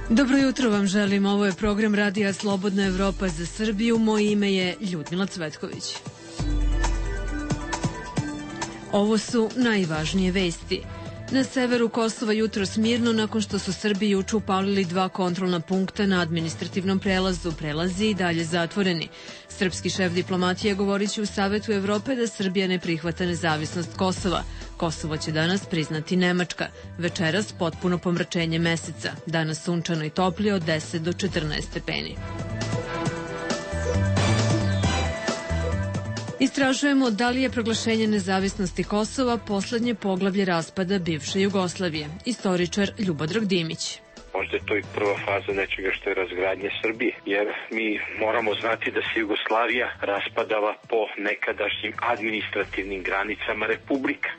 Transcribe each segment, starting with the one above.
Dobro jutro vam želim, ovo je program Radija Slobodna Evropa za Srbiju, moje ime je Ljudmila Cvetković. Ovo su najvažnije vesti. Na severu Kosova jutros mirno nakon što su Srbi juče upalili 2 kontrolna punkta na administrativnom prelazu. Prelazi i dalje zatvoreni. Srpski šef diplomatije govorit će u Savetu Evrope da Srbija ne prihvata nezavisnost Kosova. Kosovo će danas priznati Nemačka. Večeras potpuno pomračenje meseca. Danas sunčano i toplije od 10 do 14 stepeni. Istražujemo da li je proglašenje nezavisnosti Kosova poslednje poglavlje raspada bivše Jugoslavije. Istoričar Ljubodrag Dimić. Možda je to i prva faza nečega što je razgradnje Srbije, jer mi moramo znati da se Jugoslavija raspadala po nekadašnjim administrativnim granicama republika.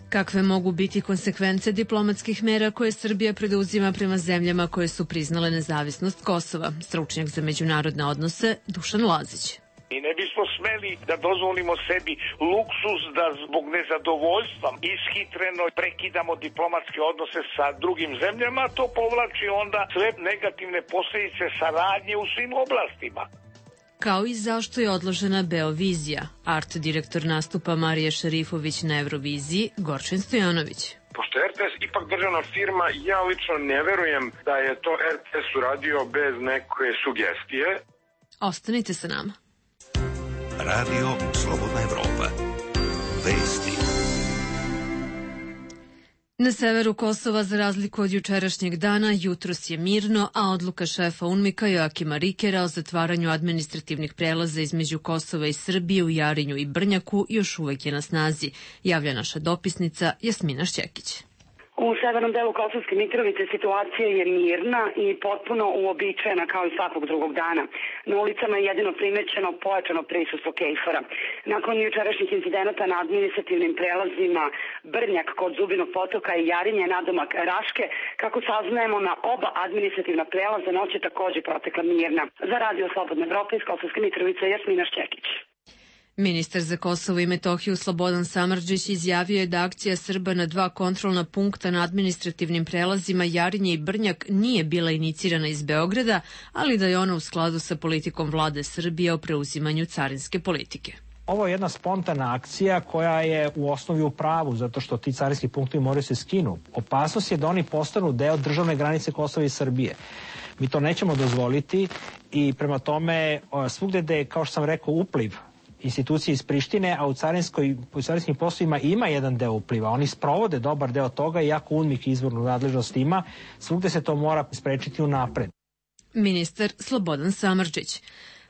Kakve mogu biti konsekvence diplomatskih mera koje Srbija preduzima prema zemljama koje su priznale nezavisnost Kosova? Stručnjak za međunarodne odnose Dušan Lazić. I ne bismo smeli da dozvolimo sebi luksuz da zbog nezadovoljstva ishitreno prekidamo diplomatske odnose sa drugim zemljama, to povlači onda sve negativne posledice saradnje u svim oblastima. Kao i zašto je odložena Beovizija. Art direktor nastupa Marija Šerifović na Euroviziji, Gorčin Stojanović. Pošto je RTS ipak državna firma, ja lično ne verujem da je to RTS uradio bez neke sugestije. Ostanite sa nama. Radio Slobodna Evropa. Vesti. Na severu Kosova, za razliku od jučerašnjeg dana, jutros je mirno, a odluka šefa UNMIK-a Joakima Rikera o zatvaranju administrativnih prelaza između Kosova i Srbije u Jarinju i Brnjaku još uvek je na snazi, javlja naša dopisnica Jasmina Šćekić. U severnom delu Kosovske Mitrovice situacija je mirna i potpuno uobičajena kao i svakog drugog dana. Na ulicama je jedino primećeno pojačano prisustvo KFOR-a. Nakon jučerašnjih incidenata na administrativnim prelazima Brnjak kod Zubinog potoka i Jarinje nadomak Raške, kako saznajemo, na oba administrativna prelaza noć je takođe protekla mirna. Za Radio Slobodna Evropa iz Kosovske Mitrovice, Jasmina Šćekić. Ministar za Kosovo i Metohiju Slobodan Samardžić izjavio je da akcija Srba na 2 kontrolna punkta na administrativnim prelazima Jarinje i Brnjak nije bila inicirana iz Beograda, ali da je ona u skladu sa politikom vlade Srbije o preuzimanju carinske politike. Ovo je jedna spontana akcija koja je u osnovi u pravu, zato što ti carinski punktovi moraju se skinu. Opasnost je da oni postanu deo državne granice Kosova i Srbije. Mi to nećemo dozvoliti i prema tome svugde gde je, kao što sam rekao, upliv institucije iz Prištine, a u carinskim poslovima ima jedan deo upliva. Oni sprovode dobar deo toga, iako UNMIK izvornu nadležnost ima, svugde se to mora sprečiti unapred. Ministar Slobodan Samardžić.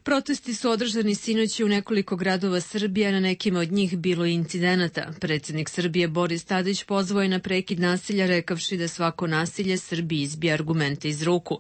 Protesti su održani sinoć u nekoliko gradova Srbije, a na nekima od njih bilo i incidenata. Predsjednik Srbije Boris Tadić pozvao je na prekid nasilja, rekavši da svako nasilje Srbiji izbija argumente iz ruku.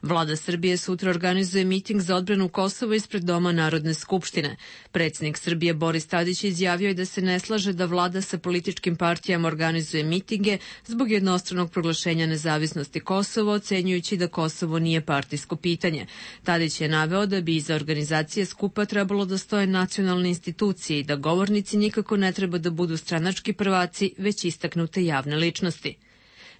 Vlada Srbije sutra organizuje miting za odbranu Kosova ispred Doma Narodne skupštine. Predsjednik Srbije Boris Tadić izjavio je da se ne slaže da vlada sa političkim partijama organizuje mitinge zbog jednostranog proglašenja nezavisnosti Kosova, ocenjujući da Kosovo nije partijsko pitanje. Tadić je naveo da bi iza organizacije skupa trebalo da stoje nacionalne institucije i da govornici nikako ne treba da budu stranački prvaci, već istaknute javne ličnosti.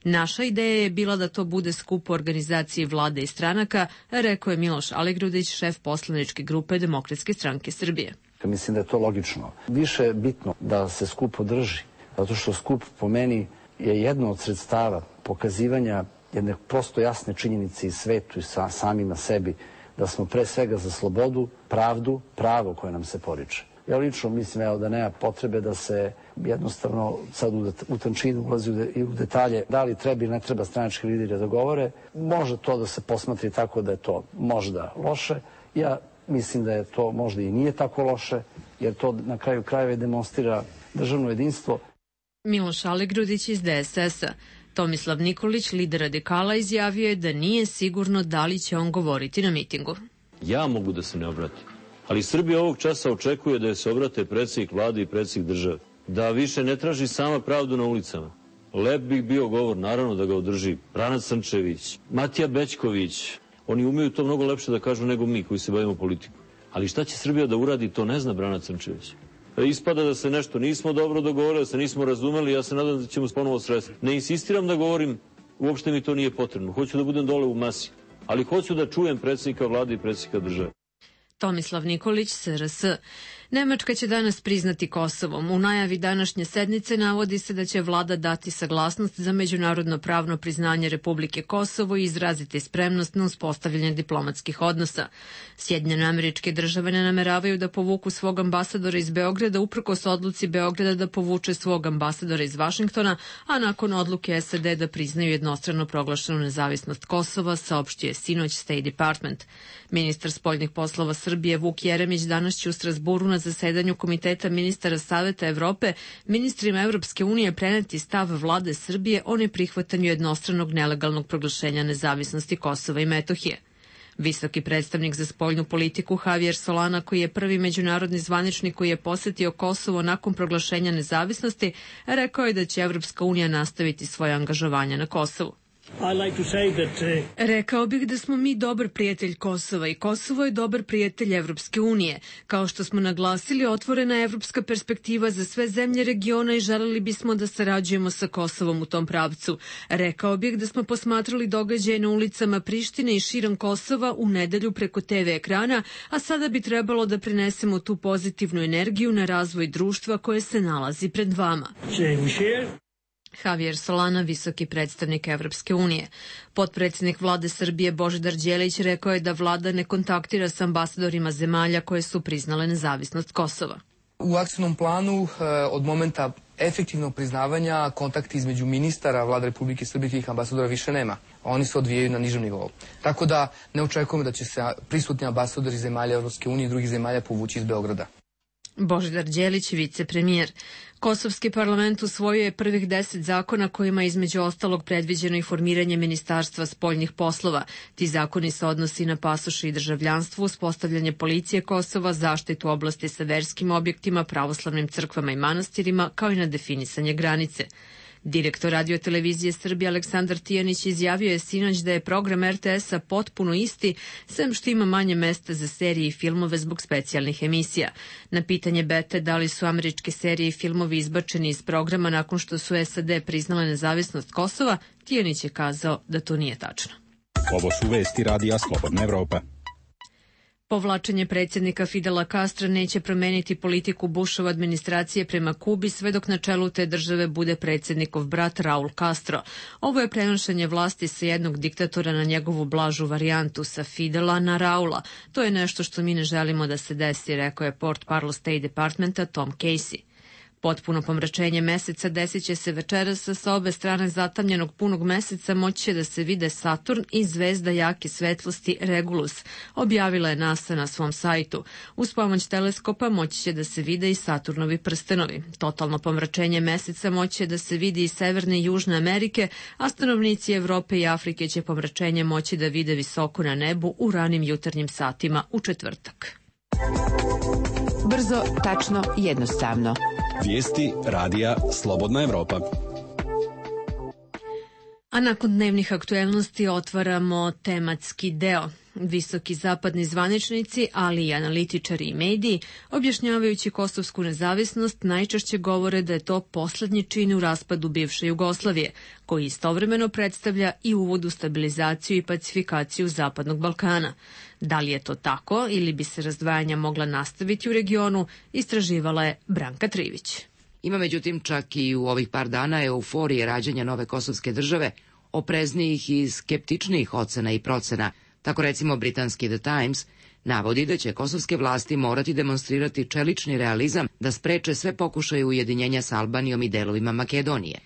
Naša ideja je bila da to bude skup u organizaciji vlade i stranaka, rekao je Miloš Aligrudić, šef poslaničke grupe Demokratske stranke Srbije. Mislim da je to logično. Više je bitno da se skup održi, zato što skup po meni je jedno od sredstava pokazivanja jedne prosto jasne činjenice i svetu i samima sebi, da smo pre svega za slobodu, pravdu, pravo koje nam se poriče. Ja lično mislim da nema potrebe da se jednostavno sad u tančinu ulazi i u detalje da li treba ili ne treba stranački lideri da govore. Može to da se posmatri tako da je to možda loše. Ja mislim da je to možda i nije tako loše, jer to na kraju krajeva demonstrira državno jedinstvo. Miloš Aligrudić iz DSS-a. Tomislav Nikolić, lider radikala, izjavio je da nije sigurno da li će on govoriti na mitingu. Ja mogu da se ne obratim, ali Srbija ovog časa očekuje da je se obrate predsjednik vlade i predsjednik države. Da više ne traži sama pravdu na ulicama. Lep bi bio govor, naravno da ga održi Brana Crnčević, Matija Bećković. Oni umeju to mnogo lepše da kažu nego mi koji se bavimo politikom. Ali šta će Srbija da uradi, to ne zna Brana Crnčević. Ispada da se nešto nismo dobro dogovorili, da se nismo razumeli, ja se nadam da ćemo ponovo sresti. Ne insistiram da govorim uopšte mi to nije potrebno. Hoću da budem dole u masi, ali hoću da čujem predsjednika vlade i predsjednika države. Tomislav Nikolić, SRS. Nemačka će danas priznati Kosovo. U najavi današnje sednice navodi se da će vlada dati saglasnost za međunarodno pravno priznanje Republike Kosovo i izraziti spremnost na uspostavljanje diplomatskih odnosa. Sjedinjene Američke Države ne nameravaju da povuku svog ambasadora iz Beograda uprkos odluci Beograda da povuče svog ambasadora iz Vašingtona, a nakon odluke SAD da priznaju jednostrano proglašenu nezavisnost Kosova, saopštio je sinoć State Department. Ministar spoljnih poslova Srbije Vuk Jeremić danas će u Strazburu na zasedanju Komiteta ministara Saveta Evrope ministrima Evropske unije preneti stav vlade Srbije o neprihvatanju jednostranog nelegalnog proglašenja nezavisnosti Kosova i Metohije. Visoki predstavnik za spoljnu politiku Javier Solana, koji je prvi međunarodni zvaničnik koji je posetio Kosovo nakon proglašenja nezavisnosti, rekao je da će Evropska unija nastaviti svoje angažovanje na Kosovu. Rekao bih da smo mi dobar prijatelj Kosova i Kosovo je dobar prijatelj Evropske unije. Kao što smo naglasili, otvorena je evropska perspektiva za sve zemlje regiona i želeli bismo da sarađujemo sa Kosovom u tom pravcu. Rekao bih da smo posmatrali događaje na ulicama Prištine i širom Kosova u nedelju preko TV ekrana, a sada bi trebalo da prinesemo tu pozitivnu energiju na razvoj društva koje se nalazi pred vama. Javier Solana, visoki predstavnik Evropske unije. Potpredsjednik vlade Srbije Božidar Đelić rekao je da vlada ne kontaktira sa ambasadorima zemalja koje su priznale nezavisnost Kosova. U akcijnom planu od momenta efektivnog priznavanja kontakt između ministara vlade Republike Srbije i tih ambasadora više nema. Oni se odvijaju na nižem nivou. Tako da ne očekujemo da će se prisutni ambasadori zemalja Evropske unije i drugih zemalja povući iz Beograda. Božidar Đelić, vicepremijer. Kosovski parlament usvojio je prvih 10 zakona kojima je između ostalog predviđeno i formiranje Ministarstva spoljnih poslova. Ti zakoni se odnosi na pasoše i državljanstvo, uspostavljanje policije Kosova, zaštitu oblasti sa verskim objektima, pravoslavnim crkvama i manastirima, kao i na definisanje granice. Direktor Radio-televizije Srbije Aleksandar Tijanić izjavio je sinoć da je program RTS-a potpuno isti, sem što ima manje mesta za serije i filmove zbog specijalnih emisija. Na pitanje Bete da li su američke serije i filmovi izbačeni iz programa nakon što su SAD priznale nezavisnost Kosova, Tijanić je kazao da to nije tačno. Ovo su vesti Radija Slobodna Evropa. Povlačenje predsjednika Fidela Castra neće promeniti politiku Bushove administracije prema Kubi sve dok na čelu te države bude predsjednikov brat Raul Castro. Ovo je prenošenje vlasti sa jednog diktatora na njegovu blažu varijantu, sa Fidela na Raula. To je nešto što mi ne želimo da se desi, rekao je portparol State Departmenta Tom Casey. Potpuno pomračenje meseca desit će se večeras, sa obe strane zatamljenog punog meseca moći će da se vide Saturn i zvezda jake svetlosti Regulus, objavila je NASA na svom sajtu. Uz pomoć teleskopa moći će da se vide i Saturnovi prstenovi. Totalno pomračenje meseca moći će da se vidi i Severne i Južne Amerike, a stanovnici Evrope i Afrike će pomračenje moći da vide visoko na nebu u ranim jutarnjim satima u četvrtak. Brzo, tačno, jednostavno. Vijesti Radija Slobodna Evropa. A nakon dnevnih aktuelnosti otvaramo tematski deo. Visoki zapadni zvaničnici, ali i analitičari i mediji, objašnjavajući kosovsku nezavisnost, najčešće govore da je to poslednji čin u raspadu bivše Jugoslavije, koji istovremeno predstavlja i uvod u stabilizaciju i pacifikaciju Zapadnog Balkana. Da li je to tako ili bi se razdvajanja mogla nastaviti u regionu, istraživala je Branka Trivić. Ima međutim čak i u ovih par dana euforije rađanja nove kosovske države, opreznijih i skeptičnijih ocena i procena. Tako recimo britanski The Times navodi da će kosovske vlasti morati demonstrirati čelični realizam da spreče sve pokušaje ujedinjenja sa Albanijom i delovima Makedonije.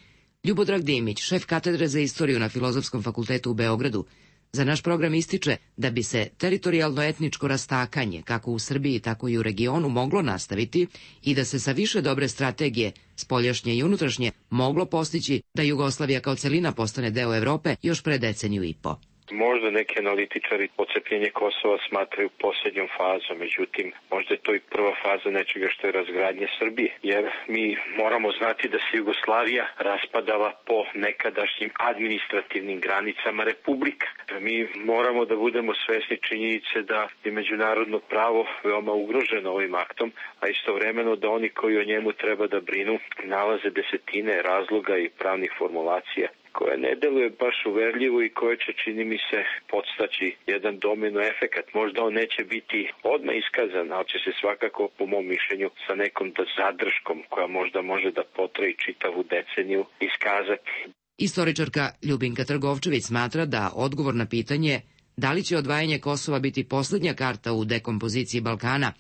Ljubodrag Dimić, šef katedre za istoriju na Filozofskom fakultetu u Beogradu, za naš program ističe da bi se teritorijalno-etničko rastakanje, kako u Srbiji, tako i u regionu, moglo nastaviti i da se sa više dobre strategije, spoljašnje i unutrašnje, moglo postići da Jugoslavija kao celina postane deo Evrope još pre deceniju i po. Možda neki analitičari odcepljenje Kosova smatraju posljednjom fazom, međutim, možda je to i prva faza nečega što je razgradnje Srbije, jer mi moramo znati da se Jugoslavija raspadala po nekadašnjim administrativnim granicama republika. Mi moramo da budemo svesni činjenice da je međunarodno pravo veoma ugroženo ovim aktom, a istovremeno da oni koji o njemu treba da brinu nalaze desetine razloga i pravnih formulacija koja ne deluje baš uverljivo i koja će, čini mi se, podstaći jedan domino efekat. Možda on neće biti odmah iskazan, ali će se svakako, po mom mišljenju, sa nekom zadrškom koja možda može da potraji čitavu deceniju iskazati. Istoričarka Ljubinka Trgovčević smatra da odgovor na pitanje da li će odvajanje Kosova biti poslednja karta u dekompoziciji Balkana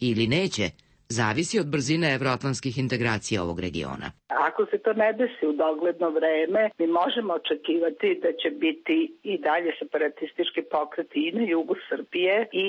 ili neće, zavisi od brzine evroatlantskih integracija ovog regiona. Ako se to ne desi u dogledno vreme, mi možemo očekivati da će biti i dalje separatistički pokreti i na jugu Srbije i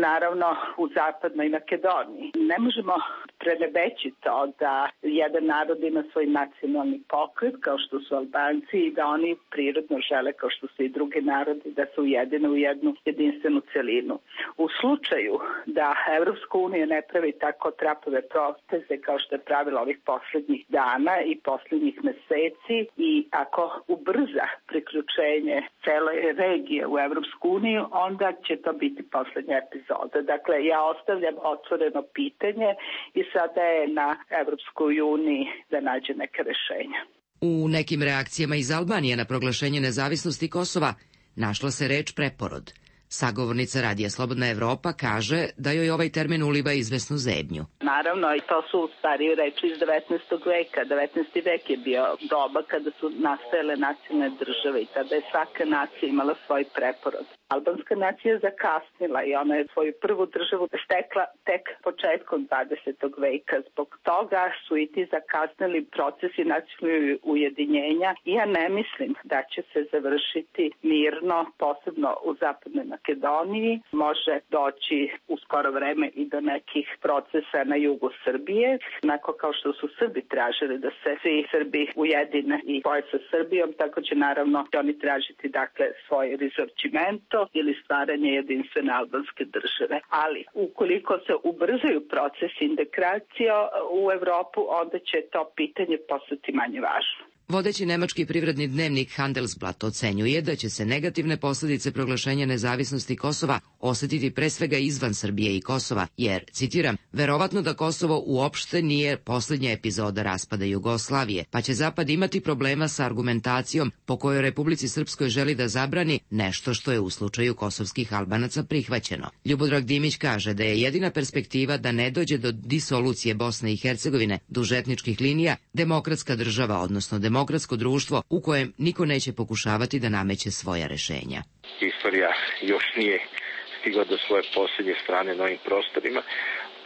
naravno u zapadnoj Makedoniji. Ne možemo prenebeći to da jedan narod ima svoj nacionalni pokret kao što su Albanci i da oni prirodno žele kao što su i drugi narodi da se ujedine u jednu jedinstvenu celinu. U slučaju da Evropska unija ne pravi tako trapave poteze kao što je pravila ovih poslednjih dana i poslednjih meseci i ako ubrza priključenje cele regije u Evropsku uniju, onda će to biti poslednja epizoda. Dakle, ja ostavljam otvoreno pitanje i sada je na Evropskoj uniji da nađe neke rešenja. U nekim reakcijama iz Albanije na proglašenje nezavisnosti Kosova našla se reč preporod. Sagovornica Radija Slobodna Evropa kaže da joj ovaj termin uliva izvesnu zebnju. Naravno, i to su starije reči iz 19. veka. 19. vek je bio doba kada su nastajale nacionalne države i tada je svaka nacija imala svoj preporod. Albanska nacija je zakasnila i ona je svoju prvu državu stekla tek početkom 20. veka. Zbog toga su i ti zakasnili procesi nacionalnog ujedinjenja i ja ne mislim da će se završiti mirno, posebno u zapadnoj Makedoniji. Može doći u skoro vreme i do nekih procesa na jugu Srbije. Onako kao što su Srbi tražili da se svi Srbi ujedine i spoje sa Srbijom, tako će naravno oni tražiti dakle svoj risorgimento ili stvaranje jedinstvene albanske države. Ali ukoliko se ubrzaju procesi integracije u Evropu, onda će to pitanje postati manje važno. Vodeći nemački privredni dnevnik Handelsblatt ocenjuje da će se negativne posledice proglašenja nezavisnosti Kosova osetiti pre svega izvan Srbije i Kosova, jer, citiram, verovatno da Kosovo uopšte nije poslednja epizoda raspada Jugoslavije, pa će Zapad imati problema sa argumentacijom po kojoj Republici Srpskoj želi da zabrani nešto što je u slučaju kosovskih Albanaca prihvaćeno. Ljubodrag Dimić kaže da je jedina perspektiva da ne dođe do disolucije Bosne i Hercegovine duž etničkih linija demokratska država, odnosno demokratsko društvo u kojem niko neće pokušavati da nameće svoja rešenja. Istorija još nije stigla do svoje posljednje strane na ovim prostorima.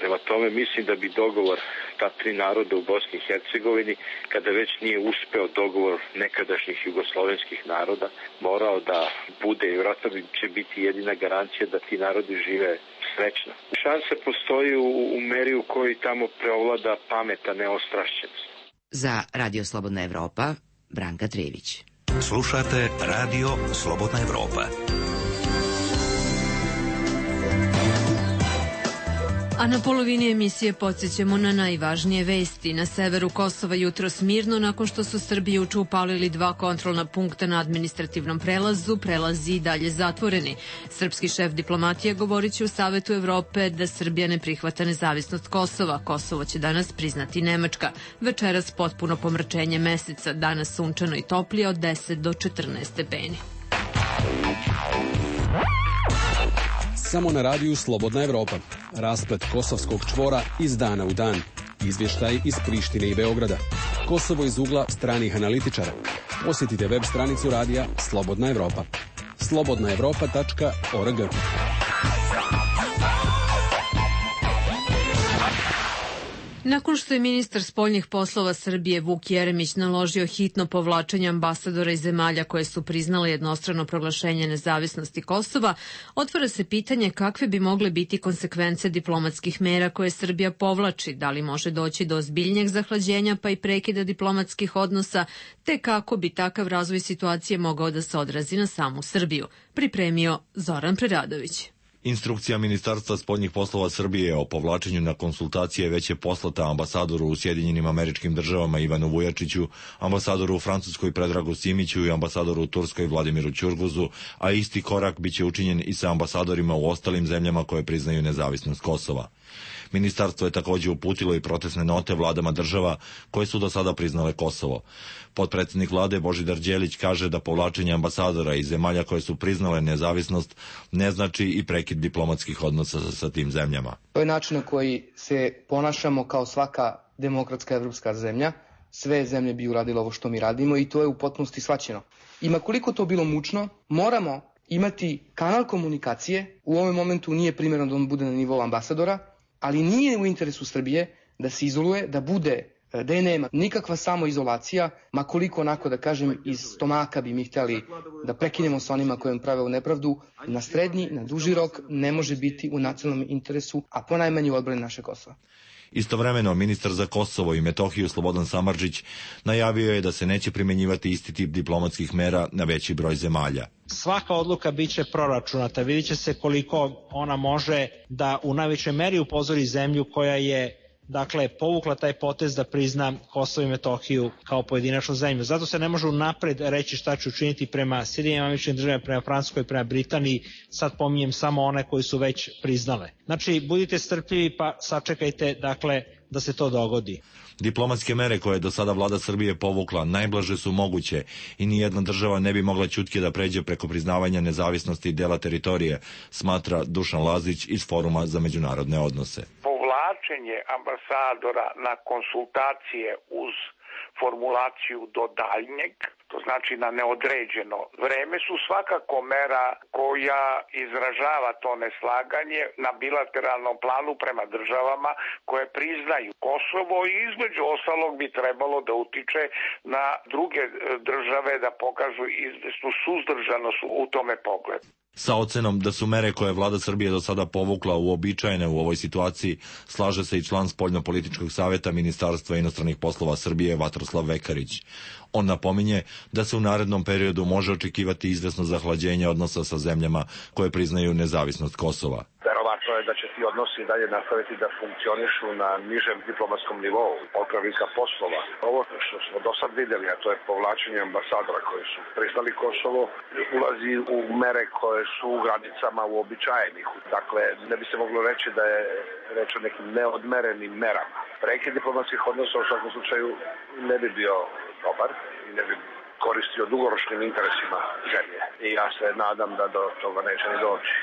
Prema tome mislim da bi dogovor ta tri naroda u Bosni i Hercegovini, kada već nije uspeo dogovor nekadašnjih jugoslovenskih naroda, morao da bude i vjerojatno će biti jedina garancija da ti narodi žive srećno. Šanse postoji u meri u kojoj tamo preovlada pameta, neostrašćenost. Za Radio Slobodna Evropa, Branka Trević. Slušate Radio Slobodna Evropa. A na polovini emisije podsjećamo na najvažnije vesti. Na severu Kosova jutros mirno nakon što su Srbi juče upalili 2 kontrolna punkta na administrativnom prelazu, prelazi i dalje zatvoreni. Srpski šef diplomatije govorit će u Savetu Evrope da Srbija ne prihvata nezavisnost Kosova. Kosovo će danas priznati Nemačka. Večeras potpuno pomračenje meseca, danas sunčano i toplije od 10 do 14 stepeni. Samo na radiju Slobodna Evropa. Rasplet kosovskog čvora iz dana u dan. Izvještaj iz Prištine i Beograda. Kosovo iz ugla stranih analitičara. Posjetite web stranicu radija Slobodna Evropa. slobodnaevropa.org. Nakon što je ministar spoljnih poslova Srbije Vuk Jeremić naložio hitno povlačenje ambasadora iz zemalja koje su priznale jednostrano proglašenje nezavisnosti Kosova, otvara se pitanje kakve bi mogle biti konsekvence diplomatskih mera koje Srbija povlači, da li može doći do ozbiljnijeg zahlađenja pa i prekida diplomatskih odnosa, te kako bi takav razvoj situacije mogao da se odrazi na samu Srbiju. Pripremio Zoran Preradović. Instrukcija Ministarstva spoljnih poslova Srbije o povlačenju na konsultacije već je poslata ambasadoru u Sjedinjenim Američkim Državama Ivanu Vujačiću, ambasadoru u Francuskoj Predragu Simiću i ambasadoru u Turskoj Vladimiru Ćurguzu, a isti korak biće učinjen i sa ambasadorima u ostalim zemljama koje priznaju nezavisnost Kosova. Ministarstvo je također uputilo i protestne note vladama država koje su do sada priznale Kosovo. Potpredsjednik vlade Božidar Đelić kaže da povlačenje ambasadora iz zemalja koje su priznale nezavisnost ne znači i prekid diplomatskih odnosa sa tim zemljama. To je način na koji se ponašamo kao svaka demokratska evropska zemlja. Sve zemlje bi uradile ovo što mi radimo i to je u potpunosti shvaćeno. I makoliko to bilo mučno, moramo imati kanal komunikacije. U ovom momentu nije primjerno da on bude na nivou ambasadora, ali nije u interesu Srbije da se izoluje, da je nema nikakva samoizolacija, makoliko onako da kažem iz stomaka bi mi htjeli da prekinemo sa onima kojim prave u nepravdu, na srednji, na duži rok ne može biti u nacionalnom interesu, a ponajmanje u odbrani naše Kosova. Istovremeno, ministar za Kosovo i Metohiju Slobodan Samardžić najavio je da se neće primjenjivati isti tip diplomatskih mera na veći broj zemalja. Svaka odluka biće proračunata, vidjet će se koliko ona može da u najvećoj meri upozori zemlju koja je povukla taj potez da prizna Kosovo i Metohiju kao pojedinačnu zemlju. Zato se ne može unapred reći šta će učiniti prema Sjedinjenim Američkim Državama, prema Francuskoj, prema Britaniji. Sad pominjem samo one koji su već priznale. Znači, budite strpljivi pa sačekajte da se to dogodi. Diplomatske mere koje je do sada vlada Srbije povukla najblaže su moguće i nijedna država ne bi mogla ćutke da pređe preko priznavanja nezavisnosti dela teritorije, smatra Dušan Lazić iz Foruma za međunarodne odnose. Povlačenje ambasadora na konsultacije uz formulaciju do daljnjeg, to znači na neodređeno vreme, su svakako mera koja izražava to neslaganje na bilateralnom planu prema državama koje priznaju Kosovo i između ostalog bi trebalo da utiče na druge države da pokažu izvesnu suzdržanost u tome pogledu. Sa ocenom da su mere koje vlada Srbije do sada povukla uobičajene u ovoj situaciji, slaže se i član Spoljnopolitičkog saveta Ministarstva inostranih poslova Srbije Vatroslav Vekarić. On napominje da se u narednom periodu može očekivati izvesno zahlađenje odnosa sa zemljama koje priznaju nezavisnost Kosova. Verovatno je da će ti odnosi dalje nastaviti da funkcionišu na nižem diplomatskom nivou, otpravnika poslova. Ovo što smo do sad vidjeli, a to je povlačenje ambasadora koji su priznali Kosovo, ulazi u mere koje su u granicama uobičajenih. Dakle, ne bi se moglo reći da je reč o nekim neodmerenim merama. Prekid diplomatskih odnosa u svakom slučaju ne bi bio dobar i ne bi koristio dugoročnim interesima zemlje. I ja se nadam da do toga neće ni doći.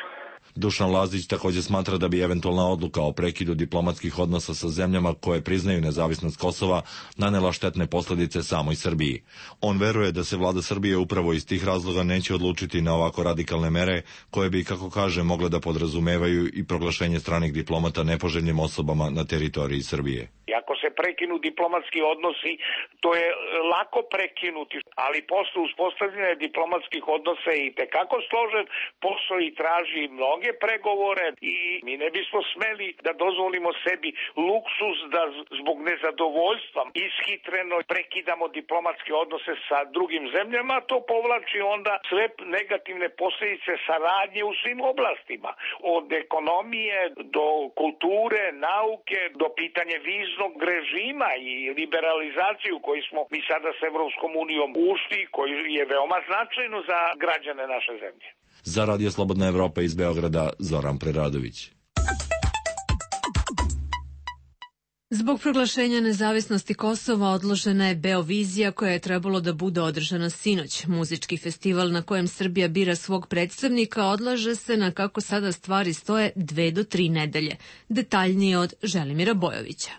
Dušan Lazić također smatra da bi eventualna odluka o prekidu diplomatskih odnosa sa zemljama koje priznaju nezavisnost Kosova nanela štetne posljedice samoj Srbiji. On veruje da se vlada Srbije upravo iz tih razloga neće odlučiti na ovako radikalne mere koje bi, kako kaže, mogle da podrazumevaju i proglašenje stranih diplomata nepoželjnim osobama na teritoriji Srbije. Ako se prekinu diplomatski odnosi, to je lako prekinuti, ali posle uspostavljanja diplomatskih odnosa je i tekako složen posao i traži mnoge pregovore i mi ne bismo smeli da dozvolimo sebi luksuz da zbog nezadovoljstva ishitreno prekidamo diplomatske odnose sa drugim zemljama, to povlači onda sve negativne posljedice saradnje u svim oblastima, od ekonomije do kulture, nauke, do pitanja viznog režima i liberalizaciju koju smo mi sada s Evropskom unijom ušli, koji je veoma značajno za građane naše zemlje. Za Radio Slobodna Evropa iz Beograda, Zoran Preradović. Zbog proglašenja nezavisnosti Kosova odložena je Beovizija koja je trebalo da bude održana sinoć. Muzički festival na kojem Srbija bira svog predstavnika odlaže se na, kako sada stvari stoje, 2 do 3 nedelje. Detaljnije od Želimira Bojovića.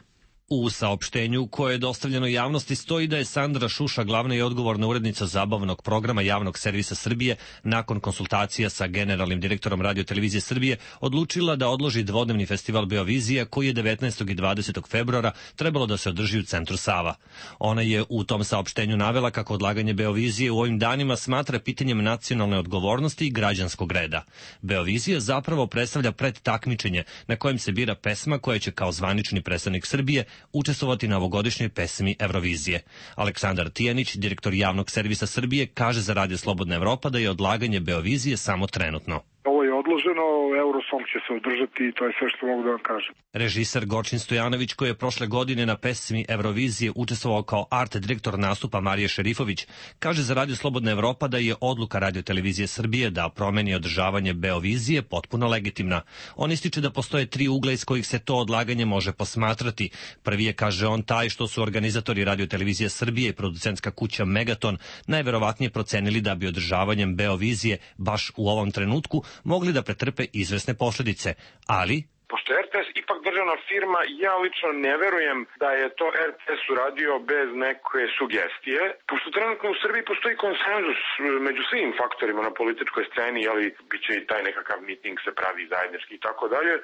U saopštenju koje je dostavljeno javnosti stoji da je Sandra Šuša, glavna i odgovorna urednica zabavnog programa Javnog servisa Srbije, nakon konsultacija sa generalnim direktorom Radio-televizije Srbije, odlučila da odloži dvodnevni festival Beovizija koji je 19. i 20. februara trebalo da se održi u centru Sava. Ona je u tom saopštenju navela kako odlaganje Beovizije u ovim danima smatra pitanjem nacionalne odgovornosti i građanskog reda. Beovizija zapravo predstavlja predtakmičenje na kojem se bira pesma koja će kao zvanični predstavnik Srbije učestvovati na ovogodišnjoj pesmi Eurovizije. Aleksandar Tijanić, direktor Javnog servisa Srbije, kaže za Radio Slobodna Evropa da je odlaganje Beovizije samo trenutno. Ovo je odloženo, Eurosong će se održati i to je sve što mogu da vam kažem. Režiser Gorčin Stojanović, koji je prošle godine na pesmi Eurovizije učestvovao kao art direktor nastupa Marije Šerifović, kaže za Radio Slobodna Evropa da je odluka Radio-televizije Srbije da promeni održavanje Beovizije potpuno legitimna. On ističe da postoje 3 ugla iz kojih se to odlaganje može posmatrati. Prvi je, kaže on, taj što su organizatori Radio-televizije Srbije i producentska kuća Megaton najverovatnije procenili da bi održavanjem Beovizije baš u ovom trenutku mogli da pretrpe izvesne posledice, ali pošto je RTS ipak državna firma, ja lično ne verujem da je to RTS uradio bez neke sugestije. Pošto trenutno u Srbiji postoji konsenzus među svim faktorima na političkoj sceni, ali bit će i taj nekakav miting se pravi zajednički i tako dalje,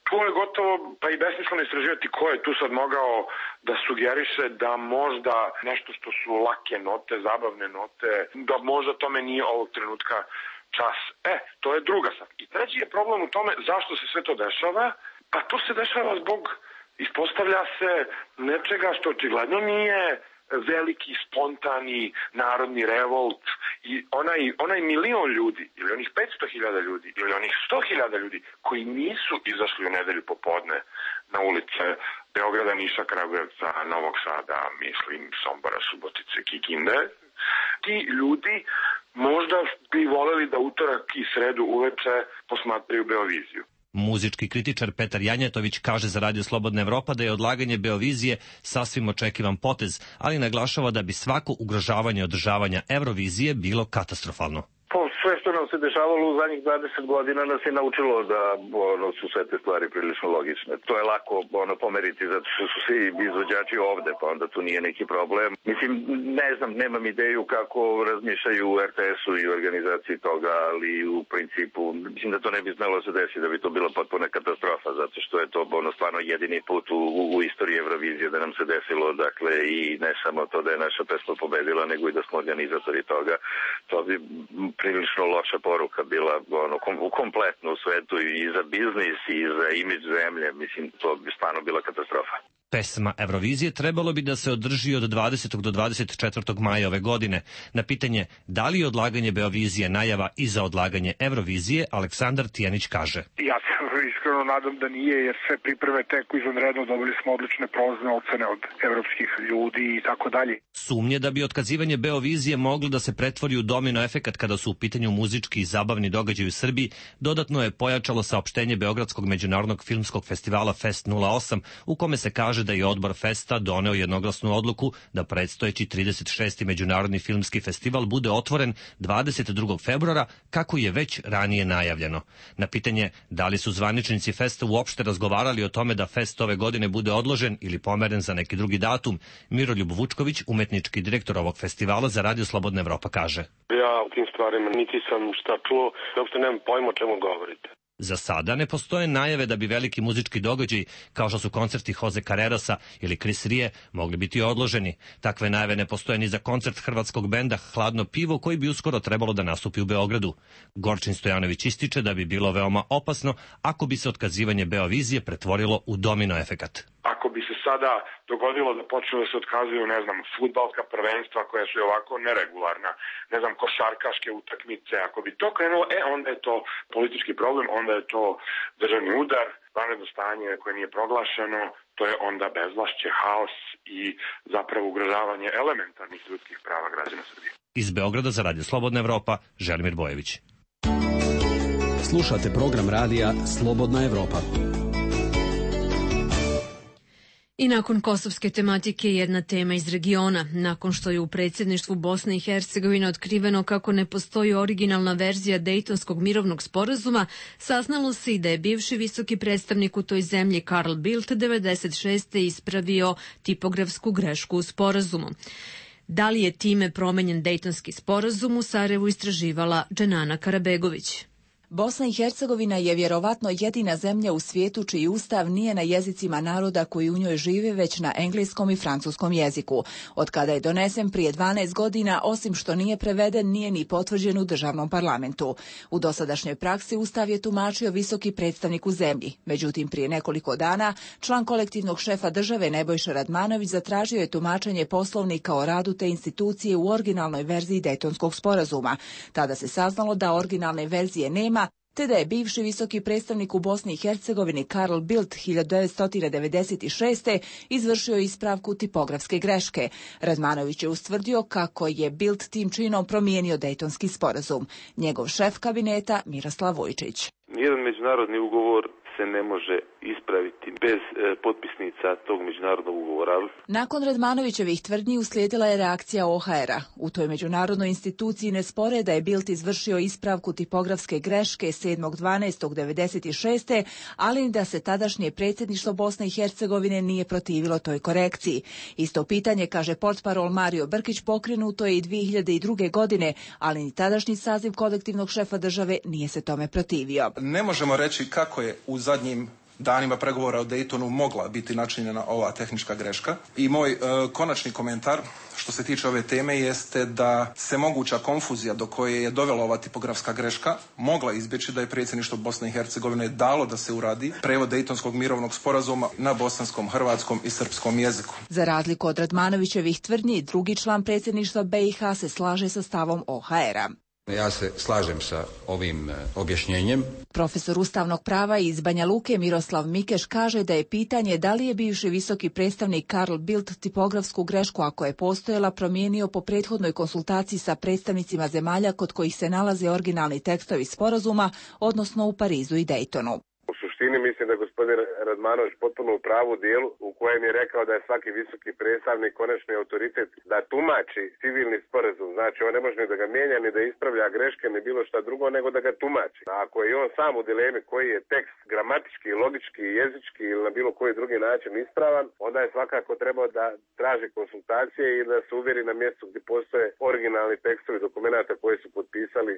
to je gotovo pa i besmisleno istraživati ko je tu sad mogao da sugeriše da možda nešto što su lake note, zabavne note, da možda tome nije ovog trenutka čas. To je druga stvar. I treći je problem u tome zašto se sve to dešava. Pa to se dešava zbog, ispostavlja se, nečega što očigledno nije veliki, spontani narodni revolt i onaj milion ljudi, ili onih 500.000 ljudi, ili onih 100.000 ljudi koji nisu izašli u nedelju popodne na ulice Beograda, Niša, Kragujevca, Novog Sada, mislim, Sombora, Subotice, Kikinde, ti ljudi možda bi voleli da utorak i sredu uveče posmatraju Beoviziju. Muzički kritičar Petar Janjetović kaže za Radio Slobodna Evropa da je odlaganje Beovizije sasvim očekivan potez, ali naglašava da bi svako ugrožavanje održavanja Eurovizije bilo katastrofalno. Sve što nam se dešavalo u zadnjih 20 godina nas je naučilo da su sve te stvari prilično logične. To je lako pomeriti zato što su svi izvođači ovde, pa onda tu nije neki problem. Mislim, ne znam, nemam ideju kako razmišljaju u RTS-u i organizaciji toga, ali u principu mislim da to ne bi smelo se desiti, da bi to bila potpuna katastrofa, zato što je to stvarno jedini put u istoriji Eurovizije da nam se desilo, dakle, i ne samo to da je naša pesma pobedila, nego i da smo organizatori toga. To bi prilično loša poruka bila kompletno u svetu i za biznis i za imidž zemlje. Mislim, to bi stvarno bila katastrofa. Pesma Eurovizije trebalo bi da se održi od 20. do 24. maja ove godine. Na pitanje da li je odlaganje Beovizije najava i za odlaganje Eurovizije, Aleksandar Tijanić kaže: Ja se iskreno nadam da nije, jer sve pripreme teku izvanredno, dobili smo odlične prozne ocene od evropskih ljudi i tako dalje. Sumnje da bi otkazivanje Beovizije moglo da se pretvori u domino efekat kada su u pitanju muzički i zabavni događaj u Srbiji, dodatno je pojačalo saopštenje Beogradskog međunarodnog filmskog festivala Fest 08, u kome se kaže da je odbor Festa doneo jednoglasnu odluku da predstojeći 36. međunarodni filmski festival bude otvoren 22. februara, kako je već ranije najavljeno. Na pitanje da li su zvaničnici Festa uopšte razgovarali o tome da Fest ove godine bude odložen ili pomeren za neki drugi datum, Miroljub Vučković, umetnički direktor ovog festivala za Radio Slobodna Evropa, kaže: Ja u tim stvarima niti sam šta čuo, uopšte nemam pojma o čemu govorite. Za sada ne postoje najave da bi veliki muzički događaji, kao što su koncerti Jose Carrerasa ili Chris Rie, mogli biti odloženi. Takve najave ne postoje ni za koncert hrvatskog benda Hladno pivo, koji bi uskoro trebalo da nastupi u Beogradu. Gorčin Stojanović ističe da bi bilo veoma opasno ako bi se otkazivanje Beovizije pretvorilo u domino efekat. Ako bi se sada dogodilo da počnu da se otkazuju, ne znam, fudbalska prvenstva koja su ovako neregularna, ne znam, košarkaške utakmice, ako bi to krenulo, onda je to politički problem, onda je to državni udar, vanredno stanje koje nije proglašeno, to je onda bezvlašće, haos i zapravo ugrožavanje elementarnih ljudskih prava građana Srbije. Iz Beograda za Radio Slobodna Evropa, Želimir Bojević. Slušate program radija Slobodna Evropa. I nakon kosovske tematike jedna tema iz regiona. Nakon što je u predsjedništvu Bosne i Hercegovine otkriveno kako ne postoji originalna verzija Dejtonskog mirovnog sporazuma, saznalo se i da je bivši visoki predstavnik u toj zemlji Carl Bildt 96. ispravio tipografsku grešku u sporazumu. Da li je time promenjen Dejtonski sporazum, u Sarajevu istraživala Dženana Karabegović. Bosna i Hercegovina je vjerovatno jedina zemlja u svijetu čiji ustav nije na jezicima naroda koji u njoj žive, već na engleskom i francuskom jeziku. Od kada je donesen prije 12 godina, osim što nije preveden, nije ni potvrđen u državnom parlamentu. U dosadašnjoj praksi ustav je tumačio visoki predstavnik u zemlji. Međutim, prije nekoliko dana, član kolektivnog šefa države Nebojša Radmanović zatražio je tumačenje poslovnika o radu te institucije u originalnoj verziji Dejtonskog sporazuma. Tada se saznalo da originalne verzije nema, te da je bivši visoki predstavnik u Bosni i Hercegovini Karl Bildt 1996. izvršio ispravku tipografske greške. Radmanović je ustvrdio kako je Bildt tim činom promijenio Dejtonski sporazum. Njegov šef kabineta Miroslav Vujčić. Nijedan međunarodni ugovor se ne može ispraviti bez potpisnica tog međunarodnog ugovora. Nakon Radmanovićevih tvrdnji uslijedila je reakcija OHR-a. U toj međunarodnoj instituciji ne spore da je Bildt izvršio ispravku tipografske greške 7.12.96. ali da se tadašnje predsjedništvo Bosne i Hercegovine nije protivilo toj korekciji. Isto pitanje, kaže portparol Mario Brkić, pokrenuto je i 2002. godine, ali ni tadašnji saziv kolektivnog šefa države nije se tome protivio. Ne možemo reći kako je u zadnjim danima pregovora o Daytonu mogla biti načinjena ova tehnička greška. I moj konačni komentar što se tiče ove teme jeste da se moguća konfuzija do koje je dovela ova tipografska greška mogla izbjeći da je predsjedništvo Bosne i Hercegovine dalo da se uradi prevod Dejtonskog mirovnog sporazuma na bosanskom, hrvatskom i srpskom jeziku. Za razliku od Radmanovićevih tvrdnji, drugi član predsjedništva BiH se slaže sa stavom OHR-a. Ja se slažem sa ovim objašnjenjem. Profesor ustavnog prava iz Banja Luke Miroslav Mikeš kaže da je pitanje da li je bivši visoki predstavnik Karl Bildt tipografsku grešku, ako je postojala, promijenio po prethodnoj konsultaciji sa predstavnicima zemalja kod kojih se nalaze originalni tekstovi sporazuma, odnosno u Parizu i Dejtonu. U suštini mislim da je gospodin Radmanović potpuno u pravu dijelu u kojem je rekao da je svaki visoki predstavnik konačni autoritet da tumači civilni sporazum. Znači on ne može ni da ga mijenja, ni da ispravlja greške, ni bilo šta drugo, nego da ga tumači. A ako je on sam u dilemi koji je tekst gramatički, logički, jezički ili na bilo koji drugi način ispravan, onda je svakako trebao da traži konsultacije i da se uvjeri na mjestu gdje postoje originalni tekstovi dokumenta koje su potpisali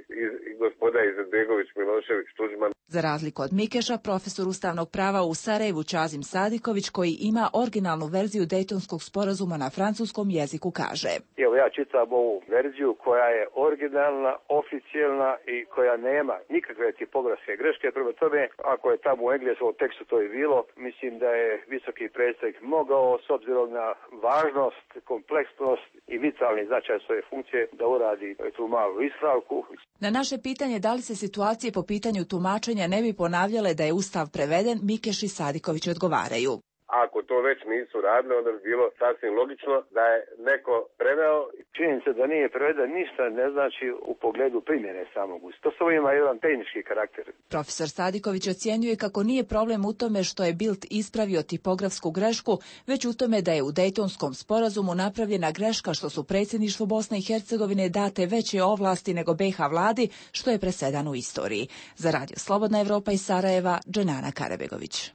i gospoda Izetbegović, Milošević, Tuđman. Za razliku od Mikeša, profesor ustavnog prava u Sarajevu Čazim Sadiković, koji ima originalnu verziju Dejtonskog sporazuma na francuskom jeziku, kaže: Evo ja čitam ovu verziju koja je originalna, oficijelna i koja nema nikakve tipografske greške. Prema tome, ako je tamo u engleskom tekstu to je bilo, mislim da je visoki predstavnik mogao, s obzirom na važnost, kompleksnost i vitalni značaj svoje funkcije, da uradi tu malu ispravku. Na naše pitanje da li se situacije po pitanju tumačenja ne bi ponavljale da je Ustav preveden, Mikeš i Sadiković odgovaraju. Ako to već nisu radili, onda bi bilo sasvim logično da je neko preveo. Činjenica da nije preveden ništa ne znači u pogledu primjene samog Ustava. To samo ima jedan tehnički karakter. Profesor Sadiković ocjenjuje kako nije problem u tome što je Bildt ispravio tipografsku grešku, već u tome da je u Dejtonskom sporazumu napravljena greška što su predsjedništvu Bosne i Hercegovine date veće ovlasti nego BiH vladi, što je presedan u istoriji. Za Radio Slobodna Evropa iz Sarajeva, Dženana Karabegović.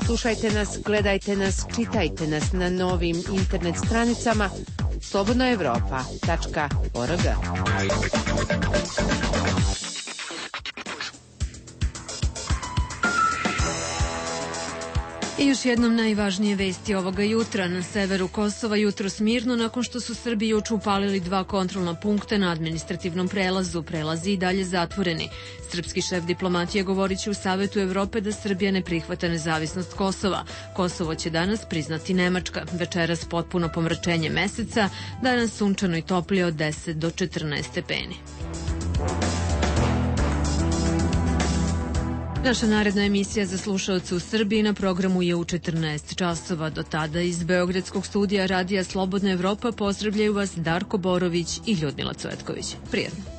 Slušajte nas, gledajte nas, čitajte nas na novim internet stranicama slobodnaevropa.org. I još jednom najvažnije vesti ovoga jutra. Na severu Kosova jutros mirno nakon što su Srbi juče upalili 2 kontrolna punkta na administrativnom prelazu. Prelazi i dalje zatvoreni. Srpski šef diplomatije govorit će u Savetu Evrope da Srbija ne prihvata nezavisnost Kosova. Kosovo će danas priznati Nemačka. Večeras potpuno pomračenje meseca, danas sunčano i toplije od 10 do 14 stepeni. Naša naredna emisija za slušaoce u Srbiji na programu je u 14 časova. Do tada iz Beogradskog studija Radija Slobodna Evropa pozdravljaju vas Darko Borović i Ljudmila Cvetković. Prijetno.